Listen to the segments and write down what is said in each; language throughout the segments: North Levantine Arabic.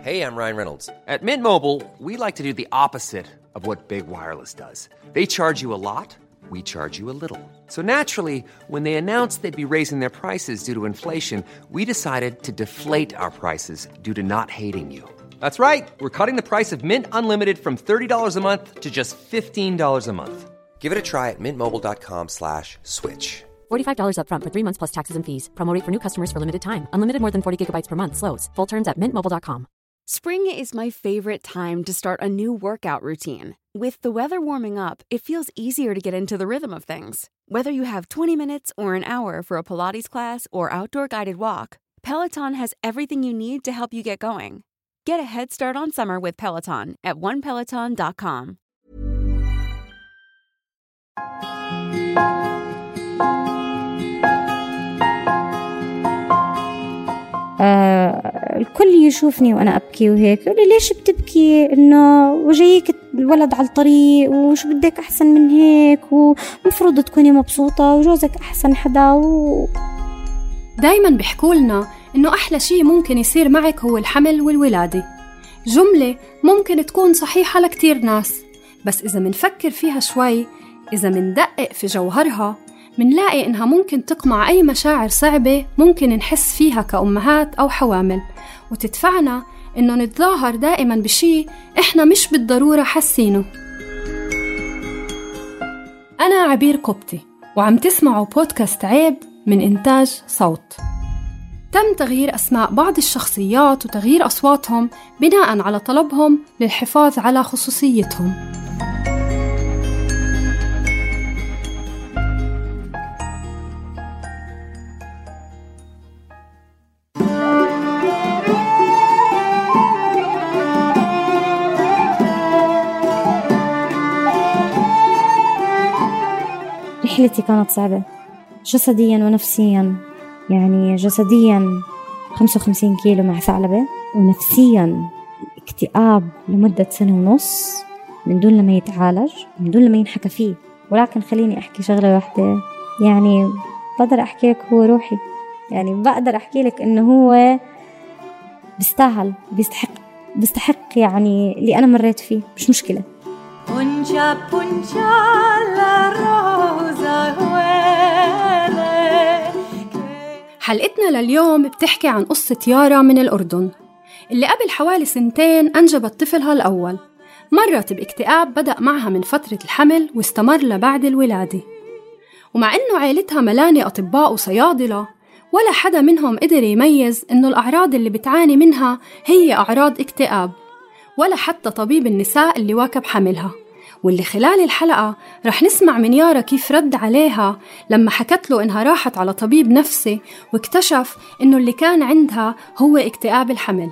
Hey, I'm Ryan Reynolds. At Mint Mobile, we like to do the opposite of what Big Wireless does. They charge you a lot, we charge you a little. So naturally, when they announced they'd be raising their prices due to inflation, we decided to deflate our prices due to not hating you. That's right. We're cutting the price of Mint Unlimited from $30 a month to just $15 a month. Give it a try at mintmobile.com/switch. $45 up front for 3 months plus taxes and fees. Promo rate for new customers for limited time. Unlimited more than 40 gigabytes per month. Slows full terms at mintmobile.com. Spring is my favorite time to start a new workout routine. With the weather warming up, it feels easier to get into the rhythm of things. Whether you have 20 minutes or an hour for a Pilates class or outdoor guided walk, Peloton has everything you need to help you get going. Get a head start on summer with Peloton at onepeloton.com. الكل يشوفني وأنا أبكي وهيك يقول لي ليش بتبكي؟ إنه وجايك الولد على الطريق وشو بدك أحسن من هيك ومفروض تكوني مبسوطة وجوزك أحسن حدا دايما بيحكولنا إنه أحلى شيء ممكن يصير معك هو الحمل والولادة. جملة ممكن تكون صحيحة لكتير ناس، بس إذا منفكر فيها شوي، إذا مندقق في جوهرها، منلاقي إنها ممكن تقمع أي مشاعر صعبة ممكن نحس فيها كأمهات أو حوامل، وتدفعنا إنه نتظاهر دائما بشي إحنا مش بالضرورة حاسينه. أنا عبير قبطي وعم تسمعوا بودكاست عيب من إنتاج صوت. تم تغيير أسماء بعض الشخصيات وتغيير أصواتهم بناء على طلبهم للحفاظ على خصوصيتهم. رحلتي كانت صعبة جسديا ونفسيا. يعني جسديا 55 كيلو مع ثعلبة، ونفسيا اكتئاب لمدة 1.5 سنة من دون لما يتعالج، من دون لما ينحكى فيه. ولكن خليني أحكي شغلة واحدة، يعني بقدر أحكي لك هو روحي، يعني بقدر أحكي لك إنه هو بيستاهل، بيستحق يعني اللي أنا مريت فيه، مش مشكلة. Puncha, puncha la rosa huele. حلقتنا لليوم بتحكي عن قصة يارا من الأردن اللي قبل حوالي 2 سنين أنجبت طفلها الأول. مرت باكتئاب بدأ معها من فترة الحمل واستمر لبعد الولادة، ومع إنه عائلتها ملانة أطباء وصيادلة ولا حدا منهم قدر يميز إنه الأعراض اللي بتعاني منها هي أعراض اكتئاب، ولا حتى طبيب النساء اللي واكب حملها، واللي خلال الحلقة رح نسمع من يارا كيف رد عليها لما حكت له إنها راحت على طبيب نفسي واكتشف إنه اللي كان عندها هو اكتئاب الحمل.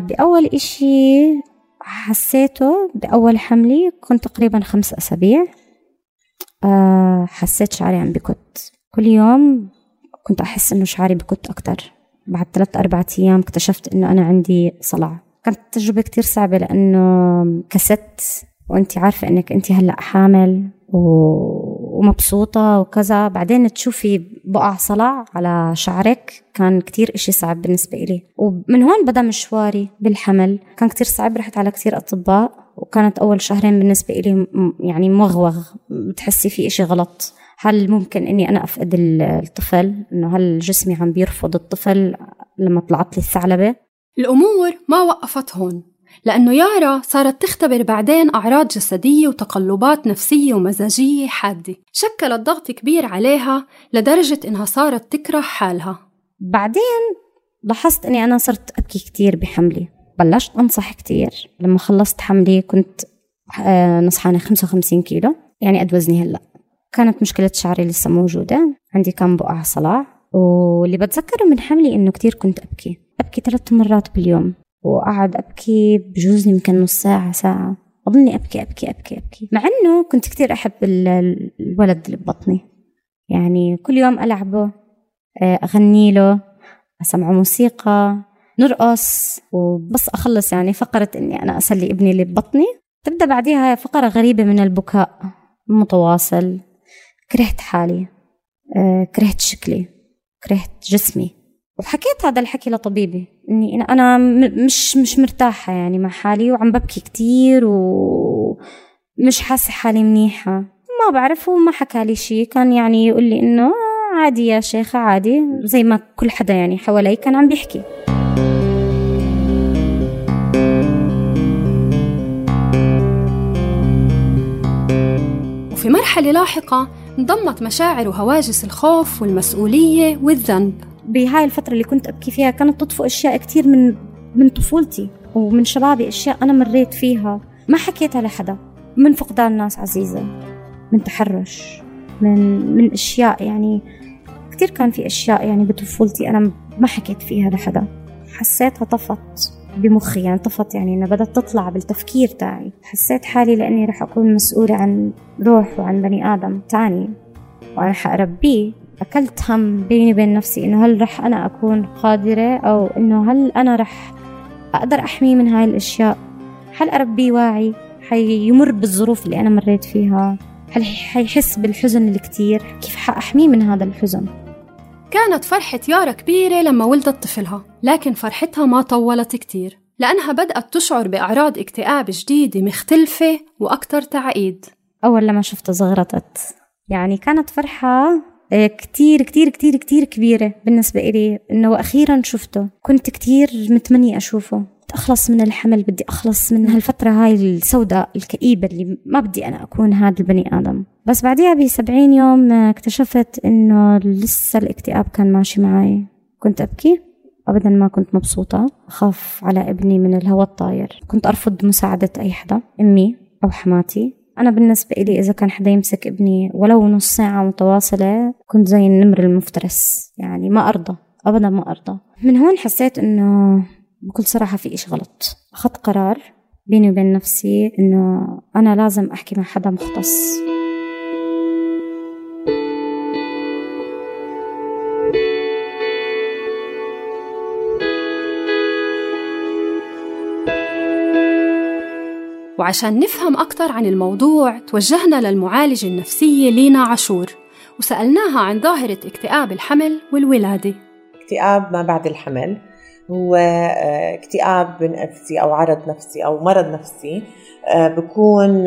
بأول إشي حسيته بأول حملي كنت تقريبا 5 أسابيع. حسيت شعري عم بكت كل يوم، كنت أحس إنه شعري بكت أكتر. بعد 3-4 أيام اكتشفت إنه أنا عندي صلع. كانت تجربة كتير صعبة لأنه كست وأنتي عارفة إنك أنتي هلأ حامل ومبسوطة وكذا، بعدين تشوفي بقع صلع على شعرك. كان كتير إشي صعب بالنسبة إلي، ومن هون بدأ مشواري بالحمل. كان كتير صعب، رحت على كتير أطباء، وكانت أول شهرين بالنسبة إلي يعني موغوغ، بتحسي في إشي غلط. هل ممكن إني أنا أفقد الطفل؟ إنه هل جسمي عم بيرفض الطفل لما طلعت لي الثعلبة؟ الأمور ما وقفت هون، لأنه يارا صارت تختبر بعدين أعراض جسدية وتقلبات نفسية ومزاجية حادة شكلت ضغط كبير عليها لدرجة إنها صارت تكره حالها. بعدين لاحظت إني أنا صرت أبكي كتير بحملي، بلشت أنصح كتير. لما خلصت حملي كنت نصحانة 55 كيلو، يعني قد وزني هلأ. كانت مشكلة شعري لسه موجودة، عندي كان بقع صلع. واللي بتذكره من حملي إنه كتير كنت أبكي 3 مرات باليوم، وقعد أبكي بجوز يمكن نص ساعة ساعة، أظني أبكي أبكي أبكي أبكي، مع أنه كنت كتير أحب الولد اللي ببطني. يعني كل يوم ألعبه، أغني له، أسمعه موسيقى، نرقص. وبس أخلص يعني فقرة أني أنا أسلي ابني اللي ببطني، تبدأ بعدها فقرة غريبة من البكاء متواصل. كرهت حالي، كرهت شكلي، كرهت جسمي، وحكيت هذا الحكي لطبيبي إني أنا مش مرتاحة يعني مع حالي، وعم ببكي كتير ومش حاسة حالي منيحة. ما بعرف، وما حكى لي شيء، كان يعني يقول لي إنه عادي يا شيخة عادي، زي ما كل حدا يعني حوالي كان عم بيحكي. وفي مرحلة لاحقة انضمت مشاعر وهواجس الخوف والمسؤولية والذنب. بهاي الفترة اللي كنت أبكي فيها كانت تطفو أشياء كتير من طفولتي ومن شبابي، أشياء أنا مريت فيها ما حكيتها لحدا، من فقدان ناس عزيزة، من تحرش، من أشياء يعني كتير. كان في أشياء يعني بطفولتي أنا ما حكيت فيها لحدا، حسيتها طفت بمخي، يعني طفت، يعني أنا بدأت تطلع بالتفكير تاعي. حسيت حالي لأني رح أكون مسؤولة عن روح وعن بني آدم تاني وأنا حأربيه. أكلت هم بيني وبين نفسي إنه هل رح أنا أكون قادرة، أو إنه هل أنا رح أقدر أحميه من هاي الأشياء؟ هل أربيه واعي حيمر بالظروف اللي أنا مريت فيها؟ هل حيحس بالحزن الكتير؟ كيف حأحميه من هذا الحزن؟ كانت فرحة يارا كبيرة لما ولدت طفلها، لكن فرحتها ما طولت كتير، لأنها بدأت تشعر بأعراض اكتئاب جديدة مختلفة وأكتر تعقيد. أول لما شفته زغرتت، يعني كانت فرحة كتير كتير كتير كتير كبيرة بالنسبة إلي، إنه أخيرا شفته. كنت كتير متمنية أشوفه، أخلص من الحمل، بدي أخلص من هالفترة هاي السوداء الكئيبة اللي ما بدي أنا أكون هذا البني آدم. بس بعديها ب70 يوم اكتشفت إنه لسه الاكتئاب كان ماشي معي. كنت أبكي، أبدا ما كنت مبسوطة، أخاف على ابني من الهواء الطاير، كنت أرفض مساعدة أي حدا، أمي أو حماتي. أنا بالنسبة إلي إذا كان حدا يمسك ابني ولو نص ساعة متواصلة كنت زي النمر المفترس، يعني ما أرضى، أبدا ما أرضى. من هون حسيت إنه بكل صراحة في إيش غلط. أخذت قرار بيني وبين نفسي إنه أنا لازم أحكي مع حدا مختص. وعشان نفهم أكتر عن الموضوع توجهنا للمعالجة النفسية لينا عاشور، وسألناها عن ظاهرة اكتئاب الحمل والولادة. اكتئاب ما بعد الحمل هو اكتئاب نفسي أو عرض نفسي أو مرض نفسي بيكون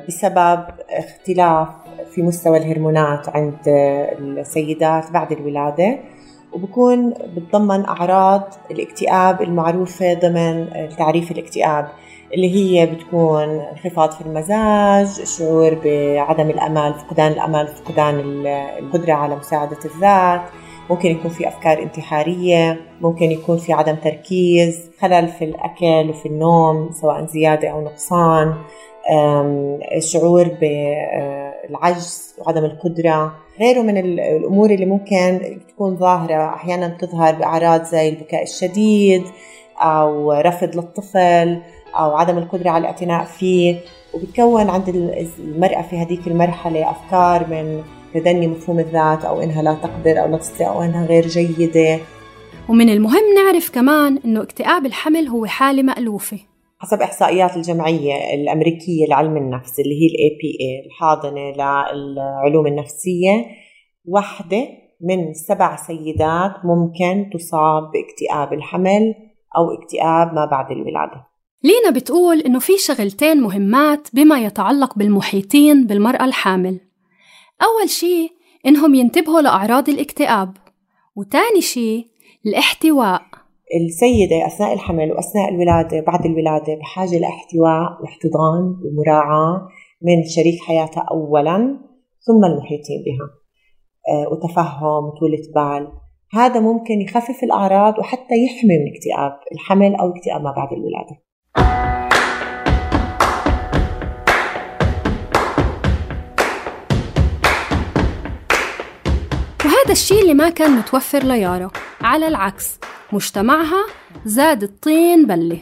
بسبب اختلاف في مستوى الهرمونات عند السيدات بعد الولادة، وبكون بتضمن أعراض الاكتئاب المعروفة ضمن تعريف الاكتئاب، اللي هي بتكون انخفاض في المزاج، شعور بعدم الأمل، فقدان الأمل، فقدان القدرة على مساعدة الذات، ممكن يكون في أفكار انتحارية، ممكن يكون في عدم تركيز، خلل في الأكل وفي النوم سواء زيادة أو نقصان، شعور بالعجز وعدم القدرة، غيره من الأمور اللي ممكن تكون ظاهرة. أحيانا تظهر بأعراض زي البكاء الشديد أو رفض للطفل أو عدم القدرة على الاعتناء فيه، وبتكون عند المرأة في هذيك المرحلة أفكار من تدني مفهوم الذات، أو إنها لا تقدر أو لا تستطيع أو إنها غير جيدة. ومن المهم نعرف كمان إنه اكتئاب الحمل هو حالة مألوفة حسب إحصائيات الجمعية الأمريكية لعلم النفس اللي هي APA الحاضنة للعلوم النفسية. 1 من 7 سيدات ممكن تصاب باكتئاب الحمل أو اكتئاب ما بعد الولادة. لينا بتقول إنه في شغلتين مهمات بما يتعلق بالمحيطين بالمرأة الحامل. أول شيء إنهم ينتبهوا لأعراض الاكتئاب، وتاني شيء الاحتواء. السيدة أثناء الحمل وأثناء الولادة بعد الولادة بحاجة لاحتواء واحتضان ومراعاة من شريك حياتها أولاً، ثم المحيطين بها، وتفهم وطولة بال. هذا ممكن يخفف الأعراض وحتى يحمي من اكتئاب الحمل أو اكتئاب ما بعد الولادة. وهذا الشيء اللي ما كان متوفر ليارا، على العكس مجتمعها زاد الطين بلة.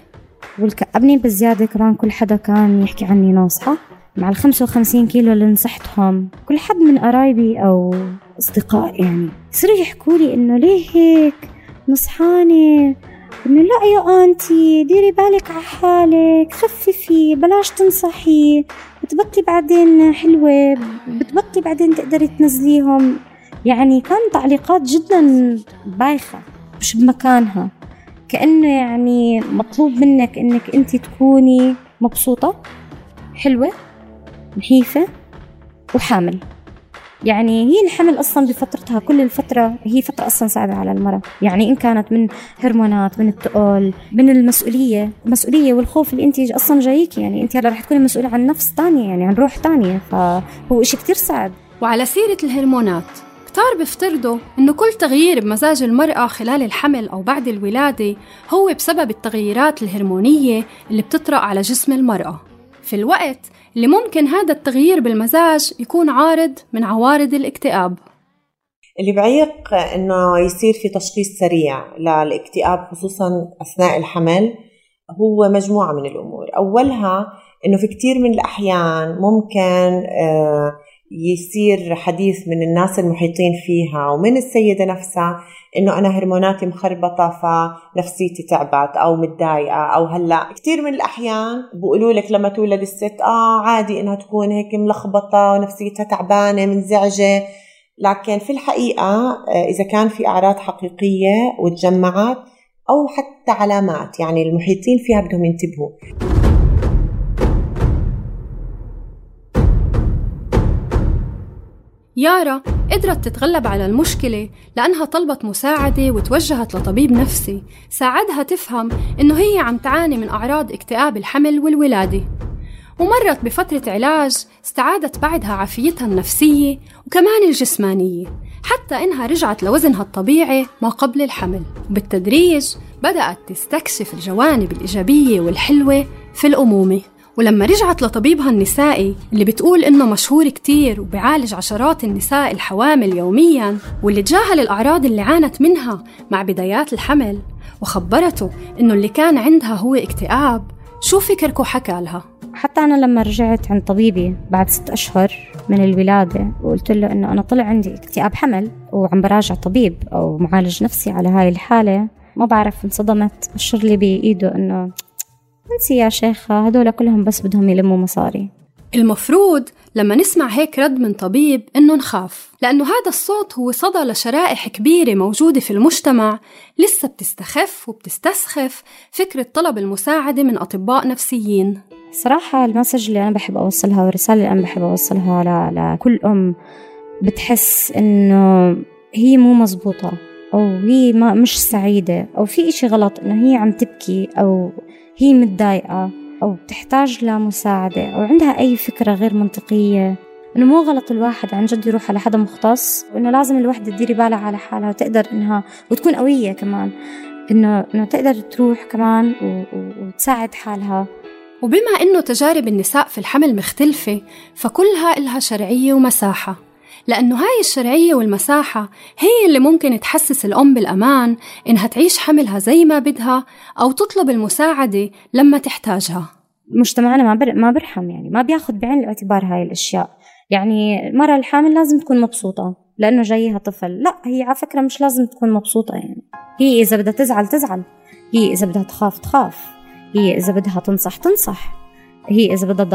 والكأبني بالزيادة كمان كل حدا كان يحكي عني ناصحة مع 55 كيلو اللي نصحتهم. كل حد من قرايبي أو أصدقاء يعني يصيروا يحكوا لي إنه ليه هيك نصحاني، إنه لا يا أنتي ديري بالك على حالك، خففي، بلاش تنصحي، بتبطي بعدين حلوة، بتبطي بعدين تقدري تنزليهم. يعني كان تعليقات جدا بايخة مش بمكانها، كأنه يعني مطلوب منك إنك أنت تكوني مبسوطة حلوة نحيفة وحامل. يعني هي الحمل أصلاً بفترتها، كل الفترة هي فترة أصلاً صعبة على المرأة، يعني إن كانت من هرمونات، من التقول، من المسؤولية والخوف اللي أنت أصلاً جايك، يعني أنت هلا رح تكوني مسؤولة عن نفس تانية، يعني عن روح تانية، فهو إشي كتير صعب. وعلى سيرة الهرمونات، كتار بيفترضوا إنه كل تغيير بمزاج المرأة خلال الحمل أو بعد الولادة هو بسبب التغييرات الهرمونية اللي بتطرأ على جسم المرأة، في الوقت اللي ممكن هذا التغيير بالمزاج يكون عارض من عوارض الاكتئاب. اللي بعيق إنه يصير في تشخيص سريع للاكتئاب خصوصاً أثناء الحمل هو مجموعة من الأمور. أولها إنه في كتير من الأحيان ممكن يصير حديث من الناس المحيطين فيها ومن السيدة نفسها إنه أنا هرموناتي مخربطة فنفسيتي تعبت أو متضايقة، أو هلأ كتير من الأحيان بقولوا لك لما تولد الست عادي إنها تكون هيك ملخبطة ونفسيتها تعبانة منزعجة، لكن في الحقيقة إذا كان في أعراض حقيقية وتجمعت أو حتى علامات، يعني المحيطين فيها بدهم ينتبهوا. يارا قدرت تتغلب على المشكلة لأنها طلبت مساعدة وتوجهت لطبيب نفسي ساعدها تفهم إنه هي عم تعاني من أعراض اكتئاب الحمل والولادة، ومرت بفترة علاج استعادت بعدها عافيتها النفسية وكمان الجسمانية، حتى إنها رجعت لوزنها الطبيعي ما قبل الحمل. وبالتدريج بدأت تستكشف الجوانب الإيجابية والحلوة في الأمومة. ولما رجعت لطبيبها النسائي اللي بتقول إنه مشهور كتير وبيعالج عشرات النساء الحوامل يومياً، واللي تجاهل الأعراض اللي عانت منها مع بدايات الحمل وخبرته إنه اللي كان عندها هو اكتئاب، شو فكركو حكى لها؟ حتى أنا لما رجعت عند طبيبي بعد 6 أشهر من الولادة وقلت له إنه أنا طلع عندي اكتئاب حمل وعم براجع طبيب أو معالج نفسي على هاي الحالة، ما بعرف انصدمت، بشر لي بإيده إنه انسي يا شيخة، هدول كلهم بس بدهم يلموا مصاري. المفروض لما نسمع هيك رد من طبيب إنه نخاف، لأنه هذا الصوت هو صدى لشرائح كبيرة موجودة في المجتمع لسه بتستخف وبتستسخف فكرة طلب المساعدة من أطباء نفسيين. صراحة المسج اللي أنا بحب أوصلها والرسالة اللي أنا بحب أوصلها لكل أم بتحس إنه هي مو مزبوطة أو هي مش سعيدة أو في إشي غلط، إنه هي عم تبكي أو هي متضايقة أو بتحتاج لمساعدة أو عندها أي فكرة غير منطقية، إنه مو غلط الواحد عن جد يروح على حدا مختص، وإنه لازم الوحدة تديري بالها على حالها وتقدر إنها وتكون قوية كمان، إنه تقدر تروح كمان وتساعد حالها. وبما إنه تجارب النساء في الحمل مختلفة، فكلها إلها شرعية ومساحة، لأنه هاي الشرعية والمساحة هي اللي ممكن تحسس الأم بالأمان إنها تعيش حملها زي ما بدها أو تطلب المساعدة لما تحتاجها. مجتمعنا ما برحم، يعني ما بياخد بعين الاعتبار هاي الأشياء. يعني المرأة الحامل لازم تكون مبسوطة لأنه جايها طفل، لا هي على فكرة مش لازم تكون مبسوطة، يعني هي إذا بدها تزعل، هي إذا بدها تخاف، هي إذا بدها تنصح، هي إذا بدها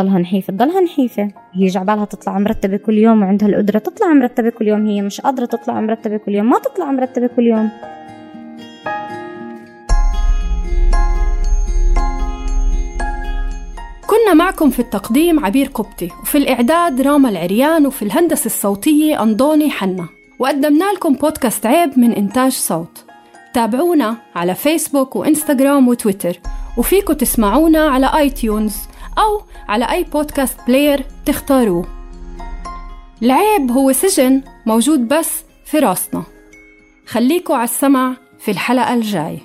تضلها نحيفة، هي جعبالها تطلع مرتبة كل يوم وعندها القدرة تطلع مرتبة كل يوم، هي مش قادرة تطلع مرتبة كل يوم ما تطلع مرتبة كل يوم. كنا معكم في التقديم عبير قبطي، وفي الإعداد راما العريان، وفي الهندسة الصوتية أنضوني حنا، وقدمنا لكم بودكاست عيب من إنتاج صوت. تابعونا على فيسبوك وإنستغرام وتويتر، وفيكم تسمعونا على آيتيونز أو على أي بودكاست بلاير تختاروه. العيب هو سجن موجود بس في راسنا. خليكوا على السمع في الحلقة الجاي.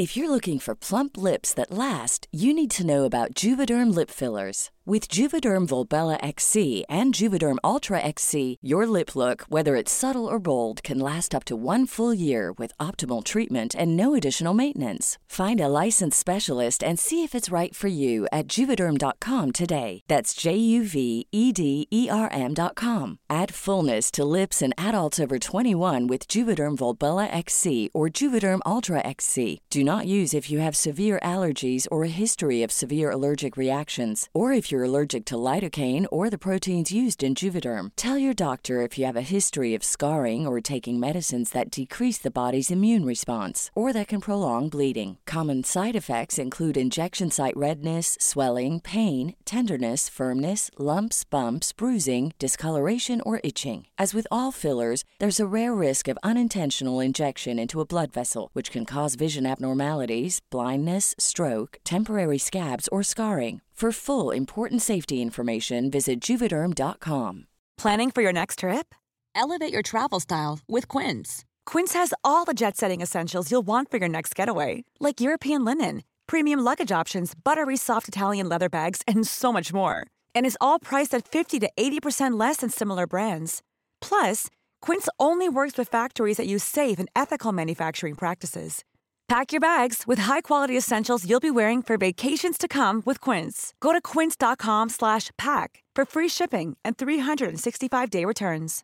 If you're looking for plump lips that last, you need to know about Juvederm lip fillers. With Juvederm Volbella XC and Juvederm Ultra XC, your lip look, whether it's subtle or bold, can last up to 1 full year with optimal treatment and no additional maintenance. Find a licensed specialist and see if it's right for you at Juvederm.com today. That's JUVEDERM.com. Add fullness to lips in adults over 21 with Juvederm Volbella XC or Juvederm Ultra XC. Do not use if you have severe allergies or a history of severe allergic reactions, or if you're allergic to lidocaine or the proteins used in Juvederm. Tell your doctor if you have a history of scarring or taking medicines that decrease the body's immune response or that can prolong bleeding. Common side effects include injection site redness, swelling, pain, tenderness, firmness, lumps, bumps, bruising, discoloration, or itching. As with all fillers, there's a rare risk of unintentional injection into a blood vessel, which can cause vision abnormalities, blindness, stroke, temporary scabs, or scarring. For full important safety information, visit Juvederm.com. Planning for your next trip? Elevate your travel style with Quince. Quince has all the jet-setting essentials you'll want for your next getaway, like European linen, premium luggage options, buttery soft Italian leather bags, and so much more. And is all priced at 50 to 80% less than similar brands. Plus, Quince only works with factories that use safe and ethical manufacturing practices. Pack your bags with high-quality essentials you'll be wearing for vacations to come with Quince. Go to quince.com/pack for free shipping and 365-day returns.